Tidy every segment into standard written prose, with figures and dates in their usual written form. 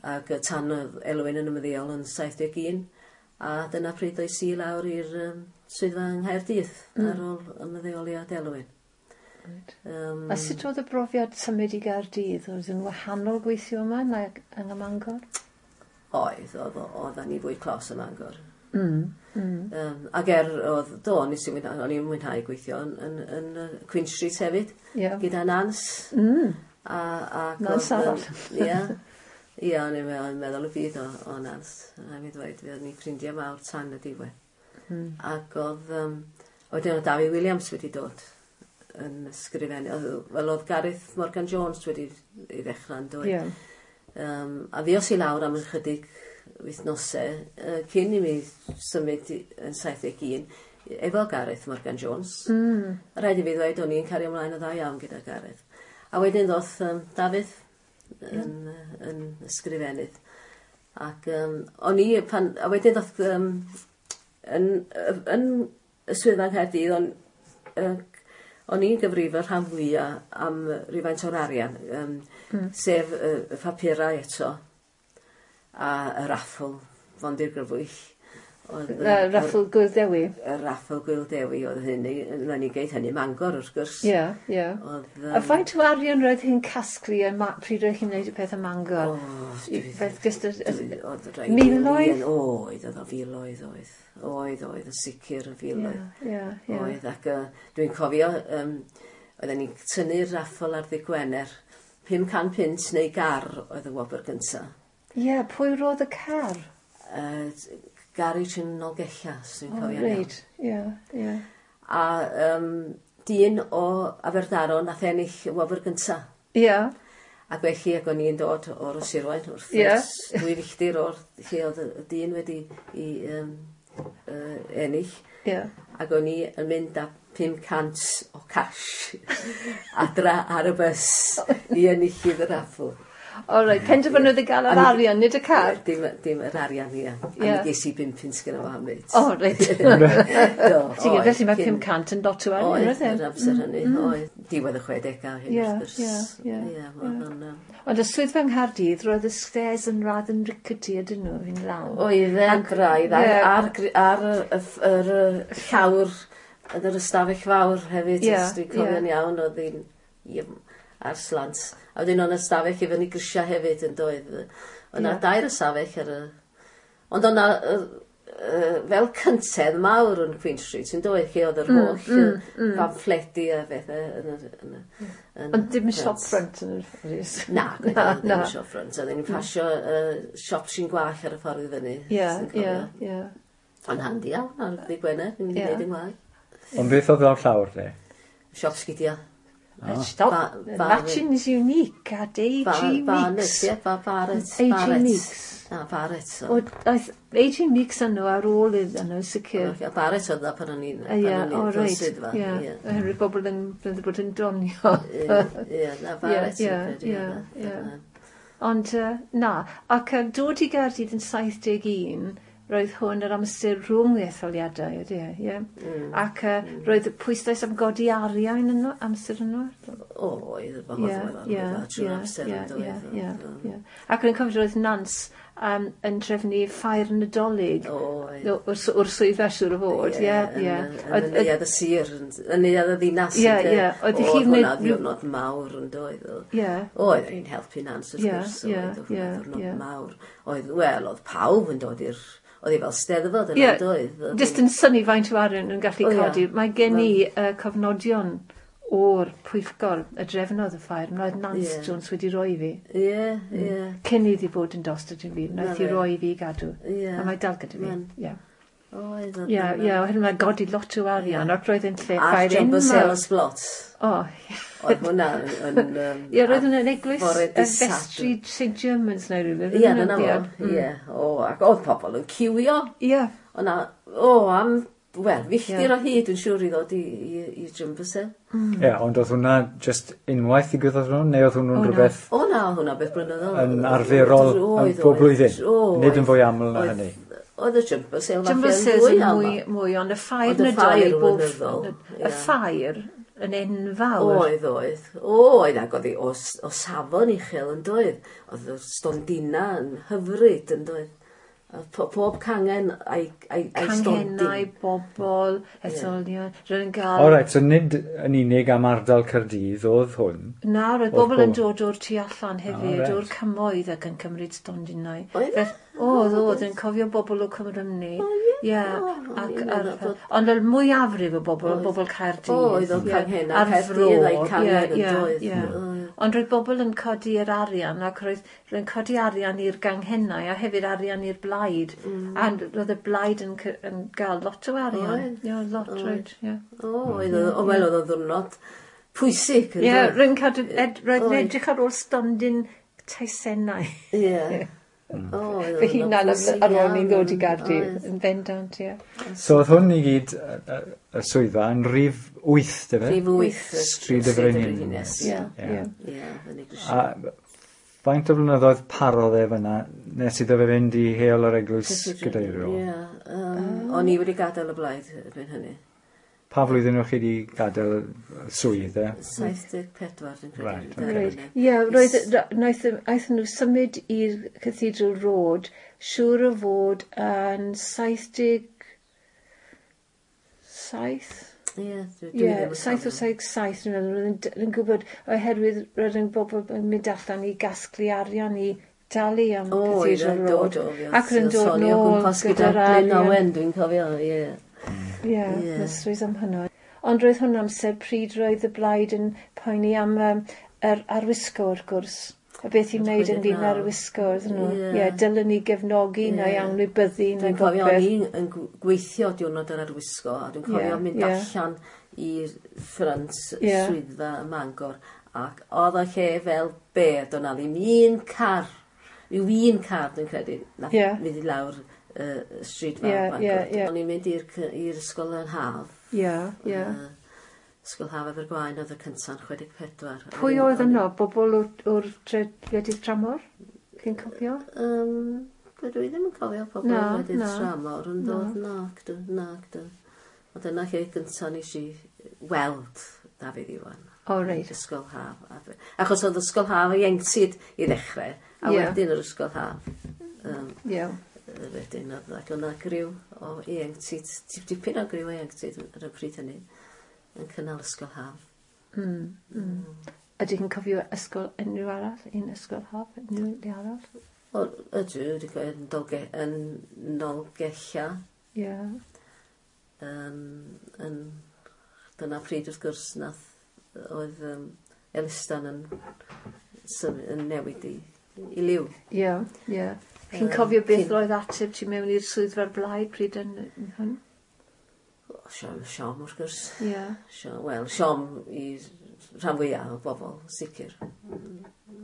Ac tan oedd Elwyn yn ymddeol yn 71, a dyna pryd oes i lawr i'r swyddfa yng Nghaerdydd ar ôl ymddeoliad Elwyn. Right. A sut oedd y brofiad symud i Gaerdydd? Oedd yn wahanol gweithio yma na yng Mangor? Oedd, oedden ni fwy clos ym Mangor. Ac oedd, do, nes i mwynhau, o'n i'n mwynhau gweithio yn Queen Street hefyd, gyda Nance. A Nance arall. Ie. Ie, o'n i'n meddwl y byd o Nance. A mi ddweud, fe o'n i'n ffrindiau mawr tan y diwedd. Ac oedd, wedyn oedd David Williams wedi dod yn ysgrifennu. Wel, oedd Gareth Morgan Jones wedi ei ddechrau yn dod. A ddios i lawr am ychydig wythnosau cyn i mi symud yn 71 efo Gareth Morgan Jones. Rhaid i fi ddweud, o'n i'n cario ymlaen yn dda iawn gyda Gareth. A wedyn ddoth Dafydd yn ysgrifennydd. Ac o'n i, a wedyn ddoth yn y swyddfa yng Nghaerdydd, o'n i'n gyfrifol rhan fwyaf am rywfaint o'r arian, sef y papurau eto, a y raffl Fondir Grybwyll. Y raffl Gwyl Dewi? Y raffl Gwyl Dewi oedd hynny, na ni geith hynny Mangor wrth gwrs. Ie, ie. A faint o arian roedd hi'n casglu pryd roedd hi'n gwneud y peth ym Mangor? Miloedd? Oedd, oedd o filoedd, oedd. Oedd, oedd, yn sicr yn filoedd. Ie, ie. Oedd, ac dwi'n cofio, oedden ni'n tynnu'r raffl ar ddydd Gwener, 500 punt neu gar oedd y wobr gyntaf. Ie, pwy roedd y car? Garage yn Nolgella, os dwi'n cofio'n iawn. Reit, ie, ie. A dyn o Aberdaron nath ennill y wobr gyntaf. Ie. Ac felly, ac o'n i'n dod o'r Sirwain, wrth gwrs, 2 filltir o'r lle oedd y dyn wedi i ennill. Ie. Ac o'n i yn mynd â 500 o cash adra ar y bws i enillydd y raffl. O reit, penderfynodd i gael yr arian, nid y car? Dim yr arian, ie. A mi ges i 5 punt gyda fo am fyd. O, reit. Ti'n gwybod, felly mae 500 yn lot o arian, oedd e? Oedd, yr amser hynny, oedd. Diwedd y 60au hyn, wrth gwrs. Ie, ie, Ond y swyddfa yng Nghaerdydd, roedd y stairs yn rather yn rickety, ydyn nhw, fi'n lawr. Oedd e'n braidd, ar yr llawr, yn yr ystafell fawr hefyd, os dwi'n cofio'n iawn, oedd hi'n ar slant. A wedyn o'n ystafell i fyny grisiau hefyd yn doedd. Oedd 'na dair ystafell ar y... Ond o'na fel cyntedd mawr yn Queen Street yn doedd, lle oedd yr holl pamffledi a bethau. Ond dim shop front yn yr ffodus? Na, dim shop front. Oedden ni'n pasio siop sy'n gwall ar y ffordd i fyny. Ie, ie, ie. Ond handi iawn ar ddydd Gwener, ni'n mynd i wneud yn gwall. Ond beth oedd lawr llawr de? Siop sgidiau. Stop. Matching is unique at A.G. Meeks. Ie, Barrett. A.G. Meeks. Na, Barrett. Oedd A.G. Meeks yno ar ôl iddyn nhw, sicr. Barrett oedd dda pan o'n i'n swyddfa. Ie, oherwydd bobl yn bod yn donio. Ie, na, Barrett. Ie, Ond na, ac dod i Gaerdydd yn 71, roedd hwn yr amser rhwng etholiadau, ydy e, ie? Ac roedd pwyslais am godi arian yno, amser yno? O, oedd, trwy'r amser yn doedd. Ie, Ac o'n cofio roedd Nance yn trefnu ffair Nadolig o'r swyddfa siŵr o fod, ie, ie. Yn neuadd y sir, yn neuadd y ddinas. Ie, ie. Oedd hwnna ddiwrnod mawr yn doedd. Ie. Oedd hi'n helpu Nance, wrth gwrs, oedd hwnna ddiwrnod mawr. Oedd, wel, oedd pawb yn dod i'r... Oedd hi fel steddfod yn doedd. Jyst yn synnu faint o arian yn gallu codi. Mae gen i cofnodion o'r pwyllgor y drefnodd y ffair. Roedd Nance Jones wedi roi i fi. Ie, ie. Cyn iddi fod yn dost ydyn fi. Wnaeth hi roi i fi i gadw. A mae dal gyda fi. Ie. Oedd. Ie, ie. Oherwydd mae'n godi lot o arian ac roedd yn lle ffair enfawr. A'r jumbo sale sblot. O. Oedd hwnna yn... Ie, roedd hwnna'n eglwys y vestry St Germans neu rhywbeth. Ie, dyna fo. Ie. O, ac oedd pobl yn ciwio. Ie. O'na, am, wel, filltir o hyd yn siŵr i ddod i jumbo sale. Ie, ond oedd hwnna just unwaith ddigwyddodd hwnnw, neu oedd hwnnw'n rhywbeth... O na, oedd hwnna beth blynyddol. Yn arferol bob blwyddyn, nid yn fwy aml na hynny. Oedd y jumbo sale falle yn fwy aml. Mwy, ond y ffair Nadolig bob... Y ffair yn enfawr. Oedd, oedd. Oedd, ac oedd hi o safon uchel yn doedd. Oedd y stondina yn hyfryd yn doedd. A pob cangen a'i stondin. Canghennau, bobl, etholion. Roedd yn gael. O reit, so nid yn unig am ardal Caerdydd oedd hwn? Na, roedd bobl yn dod o'r tu allan hefyd, o'r cymoedd ac yn cymryd stondinau. Oedd? Oedd, yn cofio bobl o Cymru. Ie, ond y mwyafrif o bobl, bobl Caerdydd. Oedd, o'n canghennau Caerdydd a'i cangen yn doedd. Ond roedd bobl yn codi'r arian, ac roedd yn codi arian i'r ganghennau a hefyd arian i'r blaid. A roedd y blaid yn gael lot o arian. Ie, lot, roedd. Oedd, wel, oedd o'n ddiwrnod pwysig. Ie, roedd yn edrych ar ôl stondin teisennau. Ie. Fy hunan ar ôl ni'n ddod i Gaerdydd, yn bendant, ie. So oedd hwn i gyd, y swyddfa, yn rhif 8, dyfe? Rhif 8. Stryd y Frenhines. Ie, ie. A faint o flynyddoedd parodd e fyna nes iddo fe fynd i Heol yr Eglwys Gadeiriol? Ie, o'n i wedi gadael y blaid erbyn hynny. Pa flwyddyn o'ch chi wedi gadael y swydd, e? 74, dwi'n credu. Ie, roedd, aethon nhw symud i'r Cathedral Road, siŵr o fod yn 77? Ie, Ie, 7 o 77, dwi'n meddwl, roedd yn gwybod, oherwydd roedd yn bobl yn mynd allan i gasglu arian i dalu am Cathedral Road. Ac roedd yn dod nôl gyda'r arian. Glyn Owen, dwi'n cofio, ie. Ie, mysteries am hynny. Ond roedd hwn amser pryd roedd y blaid yn poeni am yr arwisgo, wrth gwrs. A beth i'n wneud yn ddyn arwisgo, oedden nhw. Ie, dylen ni gefnogi neu anwybyddu neu Dwi'n cofio o'n i'n yn gweithio diwrnod yr arwisgo, a dwi'n cofio mynd allan i'r ffrynt swyddfa ym Mangor, ac oedd o lle fel bedd, doedd 'na ddim un car, rhyw un car dwi'n credu, nath mynd i lawr stryd fawr Bangor. O'n i'n mynd i'r ysgol yn haf. Ie, ie. Ysgol Haf Abergwaun oedd y cynta'n 64. Pwy oedd yno? Bobl o'r gwledydd tramor? Chi'n cofio? Dwi ddim yn cofio pobl o'r gwledydd tramor yn dod. Nag dw. Ond dyna lle gyntaf nes i weld Dafydd Iwan. O, reit. Ysgol Haf. Achos oedd Ysgol Haf ieuenctid i ddechrau, a wedyn yr Ysgol Haf. Ie. Wedyn oedd ac o'na griw o ieuenctid, dipyn o griw o ieuenctid ar y pryd hynny, yn cynnal Ysgol Haf. Ydych chi'n cofio ysgol unrhyw arall? Un ysgol haf? Unrhyw le arall? O, ydw, wedi cofio yn Nolgella. Ie. Dyna pryd wrth gwrs nath oedd Elistan yn newid i liw. Ie, ie. Chi'n cofio beth oedd ateb ti mewn i'r swyddfa'r blaid pryd yn hwn? Siom, wrth gwrs. Ie. Wel, siom i rhan fwyaf o bobl, sicr.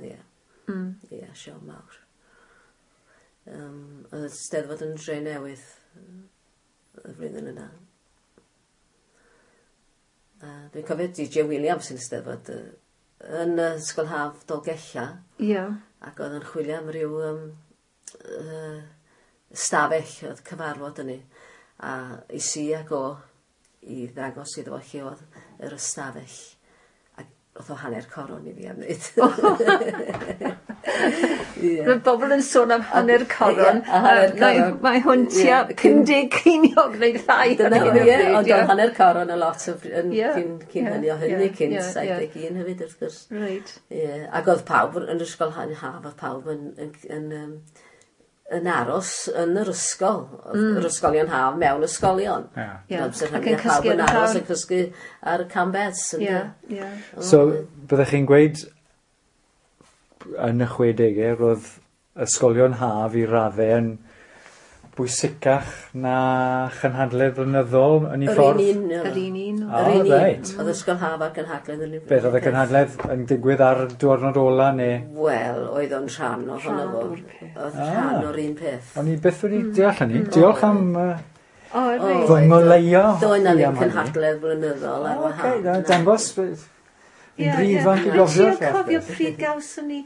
Ie. Ie, siom mawr. Oedd y Steddfod yn Dre Newydd y flwyddyn yna. Dwi'n cofio DJ Williams yn Steddfod yn Ysgol Haf Dolgella. Ie. Ac oedd yn chwilio am ryw stafell oedd cyfarfod yn ni. A i si ag o i ddangos iddo fo lle oedd yr ystafell. Ac oedd o hanner coron i fi am wneud. Roedd bobl yn sôn am hanner coron. Mae hwn tua 50 ceiniog neu llai. Dyna ie, ond oedd hanner coron y lot cyn hynny o hynny, cyn 71 hefyd wrth gwrs. Reit. Ac oedd pawb yn yr ysgol haf, oedd pawb yn aros yn yr ysgol, yr ysgolion haf mewn ysgolion. Ac yn cysgu yn aros yn cysgu ar y cambeds. So, byddech chi'n gweud yn y 60au, roedd ysgolion haf i raddau yn bwysicach na chynhadledd flynyddol yn ei ffordd? Yr un un. Yr un un. Oedd ysgol haf a'r cynhadledd yn un. Beth oedd y cynhadledd yn digwydd ar diwrnod ola neu? Wel, oedd o'n rhan ohono fo. Oedd rhan o'r un peth. O'n i byth wedi deall hynny. Diolch am fy ngoleio. Doedd na ddim cynhadledd flynyddol ar wahân. Dangos, yn rhy ifanc i gofio'r Ti'n cofio pryd gawson ni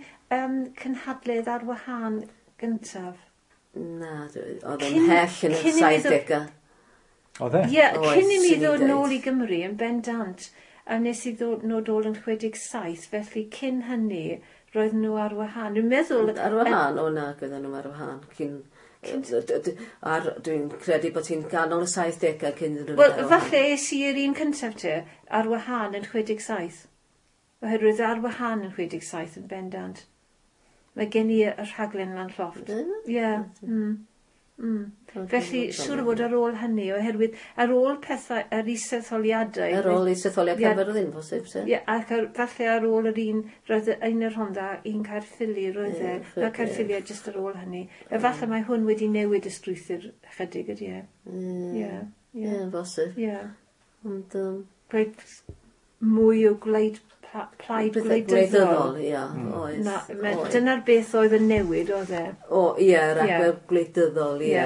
cynhadledd ar wahân gyntaf? Na, oedd o'n hell yn y 70au. Oedd e? Ie, cyn i mi ddod nôl i Gymru yn bendant, A nes i ddod nhw ôl yn 67, felly cyn hynny, roedd nhw ar wahân. Dwi'n meddwl... Ar wahân? O na, oedden nhw ar wahân. Cyn... Ar, dwi'n credu bod hi'n ganol y 70au cyn iddyn nhw. Wel, falle es i i'r un cyntaf te, ar wahân yn 67. Oherwydd ar wahân yn 67 yn bendant. Mae gen i y rhaglen lan llofft. Ie. Felly, siŵr o fod ar ôl hynny, oherwydd ar ôl pethau, yr isetholiadau... Ar ôl isetholiad Caerfyrddin, bosib, se? Ie, ac falle ar ôl yr un, roedd un yr Rhondda, un Caerffili, roedd e. Mae Caerffili jyst ar ôl hynny. Efallai mae hwn wedi newid y strwythur chydig, ydy e? Ie. Ie, bosib. Ie. Ond... Roedd mwy o gwleid plaid gwleidyddol. Ie, oedd. Dyna'r beth oedd yn newid, oedd e? O, ie, yr agwedd gwleidyddol, ie.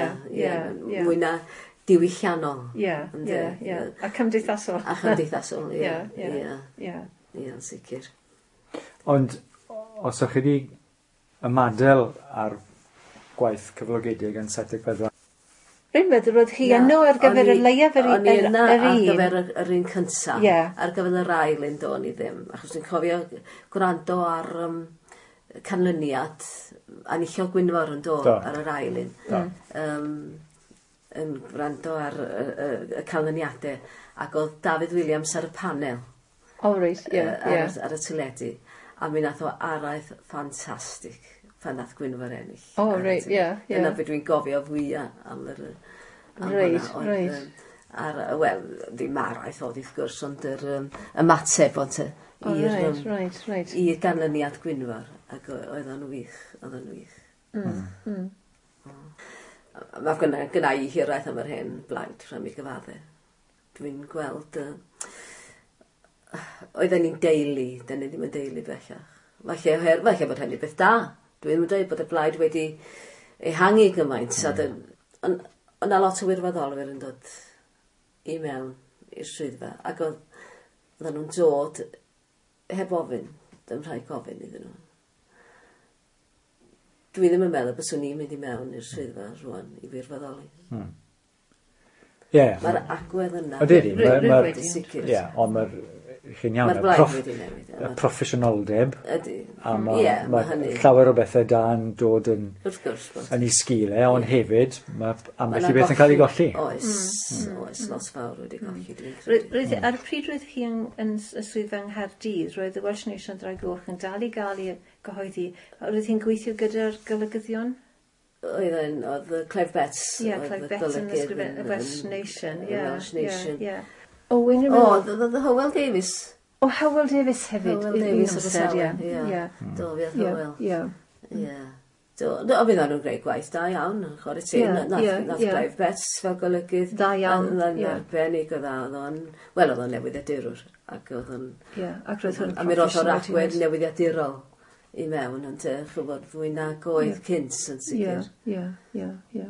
Mwy na diwylliannol. Ie, ie, A cymdeithasol. A chymdeithasol, ie. Ie, yn sicr. Ond, os ydych chi wedi ymadael ar gwaith cyflogedig yn 74, Rwy'n meddwl roedd hi yno ar gyfer y leiaf yr un. O'n i yna ar gyfer yr un cyntaf. Yeah. Ar gyfer yr ail un do'n i ddim. Achos dwi'n cofio gwrando ar canlyniad enillodd Gwynfor yn do ar yr ail un. Yn gwrando ar y canlyniadau. Ac oedd Dafydd Williams ar y panel. Oh, right, yeah, yeah. Ar y teledu. A mi nath o araith ffantastig pan nath Gwynfor ennill. Oh, right, yeah, yeah. Dyna beth dwi'n gofio fwyaf am yr... Right, right. Wel, ddim araith oedd wrth gwrs, ond yr ymateb ond i'r ganlyniad Gwynfor, ac oedd o'n wych, oedd o'n wych. Mae gynna i hiraeth am yr hen blaid, rhaid mi gyfadde. Dwi'n gweld... Oedden ni'n deulu, dyn ni ddim yn deulu bellach. Falle bod hynny beth da. Dwi'n dweud bod y blaid wedi ehangu gymaint. Ond yna lot o wirfoddolwyr yn dod i mewn i'r swyddfa. Ac oedden nhw'n dod heb ofyn. Dim rhaid gofyn iddyn nhw. Dwi ddim yn meddwl byswn i'n mynd i mewn i'r swyddfa rwan i wirfoddoli. Ie. Mae'r agwedd yna. Ydy, mae'r... Ie, ond mae'r... Chi'n iawn, Mae'r blaid wedi newid. Y proffesiynoldeb. Ydy. A mae llawer o bethau da yn dod yn, wrth gwrs, yn ei sgil e, ond hefyd mae ambell i beth yn cael ei golli. Oes, oes, lot fawr wedi golli, dwi'n credu. Ar y pryd roedd hi yn y swyddfa yng Nghaerdydd, roedd y Welsh Nation Ddraig Goch yn dal i gael ei gyhoeddi. Roedd hi'n gweithio gyda'r golygyddion? Oedd Clive Betts. Ie, Clive Betts yn ysgrifennu y Welsh Nation. Y Welsh Nation. Ie. O, Hywel Davies. O, Hywel Davies hefyd. Hywel Davies o'r amser, ie. Do, fi oedd Hywel. Ie. Do, fydd nhw'n gwneud gwaith da iawn, chwarae teg. Nath Clive Betts fel golygydd. Da iawn, ie. Arbennig o dda, oedd o'n... Wel, oedd o'n newyddiadurwr. Ac oedd o'n... Ie, ac roedd hwn A mi roedd o'r agwedd newyddiadurol i mewn, ond chwbod fwy nag oedd cynt yn sicr. Ie, ie, ie.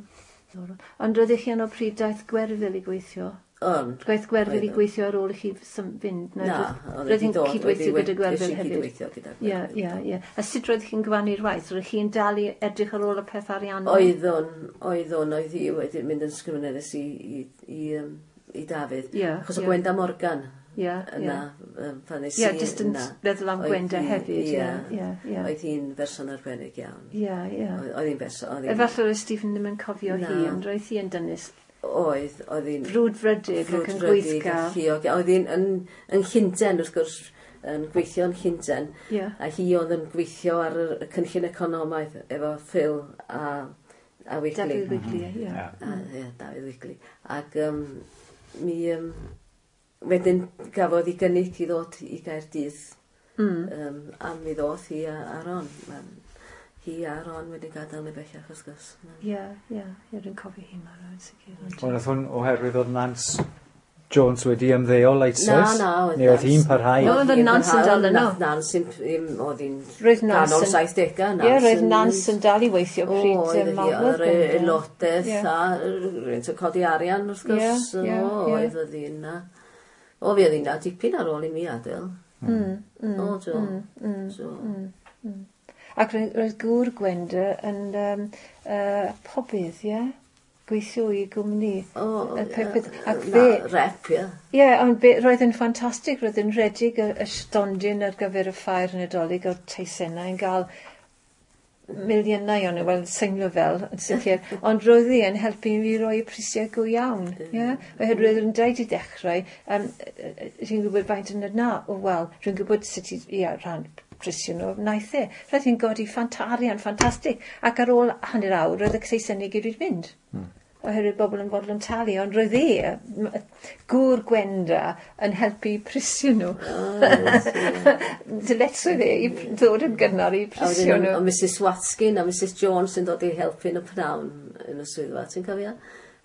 Ond roeddech chi yno pryd daeth Gwerfyl i gweithio? Gwaith Gwerfyl i gweithio ar ôl i chi fynd? Na, roedd hi'n cydweithio gyda Gwerfyl hefyd. Cydweithio gyda Gwerfyl. Ie, ie, ie. A sut roedd chi'n gyfannu'r waith? Roedd chi'n dal i edrych ar ôl y peth ariannol? Oeddwn, oedd hi wedi mynd yn sgrifenyddes i Dafydd. Achos o Gwenda Morgan yna, pan nes i yna. Ie, jyst yn meddwl am Gwenda hefyd. Ie, oedd hi'n berson arbennig iawn. Ie, ie. Oedd hi'n berson. Efallai roedd Stephen ddim yn cofio hi, ond roedd hi yn dynus. Oedd hi'n... Frwdfrydig ac yn gweithgar. Oedd hi'n yn Llundain, wrth gwrs, yn gweithio yn Llundain. Yeah. A hi oedd yn gweithio ar y cynllun economaidd efo Phil a Wigley. Dafydd Wigley, ie. Ie, Dafydd Wigley. Ac mi... wedyn gafodd ei gynnig i ddod i Gaerdydd. A mi ddoth hi a Ron. Hi a Ron wedi gadael ni bellach, wrth gwrs. Ie, ie, dwi'n cofio hi marw yn sicr. Ond oedd hwn oherwydd oedd Nance Jones wedi ymddeol eisoes? Na, oedd. Neu oedd hi'n parhau? No, oedd Nance yn dal yno. Nance oedd hi'n ganol 70au. Ie, roedd Nance yn dal i weithio pryd marwodd. Oedd yr aelodaeth a rwy'n codi arian, wrth gwrs. O, oedd hi'n na. O, fi oedd hi'n na dipyn ar ôl i mi adael. O, do. Ac roedd gŵr Gwenda yn pobydd, ie? gweithio i gwmni. O, Y peth- ac na, fe- Rep, ie. Ie, ond roedd yn ffantastig, roedd yn rhedeg y stondin ar gyfer y ffair Nadolig o'r teisennau yn gael miliynau o'n nhw, wel, symlo fel, yn sicr, ond roedd hi yn helpu fi roi y prisiau go iawn, ie? Oherwydd yn dweud i dechrau, ti'n gwybod faint yn na, o wel, rwy'n gwybod sut i, ie, rhan prisio nhw, wnaeth e. Roedd hi'n godi arian ffantastig, ac ar ôl hanner awr, roedd y teisennau gyd wedi mynd. Oherwydd bobl yn fodlon talu, ond roedd e, gŵr Gwenda, yn helpu prisio nhw. Dyletswydd e i ddod yn gynnar i A prisio wedyn, nhw. o Mrs Watkin a Mrs Jones yn dod i helpu yn y pnawn yn y swyddfa, ti'n cofio?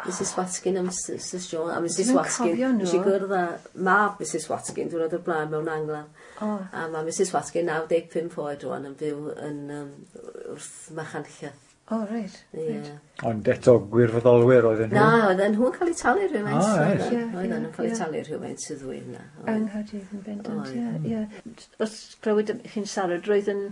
Mrs Watkin a Mrs Jones, a Mrs Dwi'm yn Watkin, cofio nhw. nes i gwrdd â mab Mrs Watkin, diwrnod o'r blaen mewn angladd. O. A mae Mrs Watkin 95 oed rwan yn byw yn wrth Machynlleth. O, reit. Ie. Ond eto gwirfoddolwyr oedden nhw. Na, oedden nhw'n cael eu talu rhywfaint. O, reit. Ie, Oedden nhw'n cael eu ie. talu rhywfaint sydd ddwy yna. Yng Nghaerdydd yn bendant, Oedd. ie, ie. Os clywed chi'n siarad, roedd yn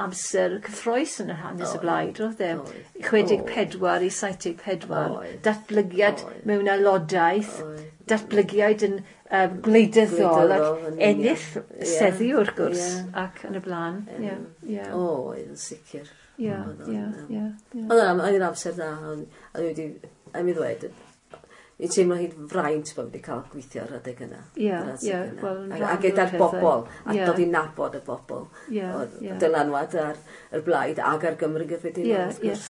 amser cyffrous yn yr hanes y Oedd. blaid, roedd e? Oedd. 64 i 74, Oedd. datblygiad Oedd. mewn aelodaeth, Oedd. datblygiad yn gwleidyddol ac Gwleidyddol, yn union. ennill Ie. seddi wrth gwrs Ie. ac yn y blaen. Ie, ie, O, oedd yn sicr. ie, Oedd o'n, ie, ie, ie. Oedd yn amser da, ond a dwi wedi, a mi ddweud, i'n teimlo hi'n fraint bod wedi cael gweithio ar adeg yna. Ie, Ar adeg ie, yna. wel, yn A rhan o'r gyda'r pethau. bobl, a Ie. dod i nabod y bobl. Ie, Oedd ie. dylanwad ar y blaid ag ar Gymru gyffredinol, Ie, wrth ie. gwrs.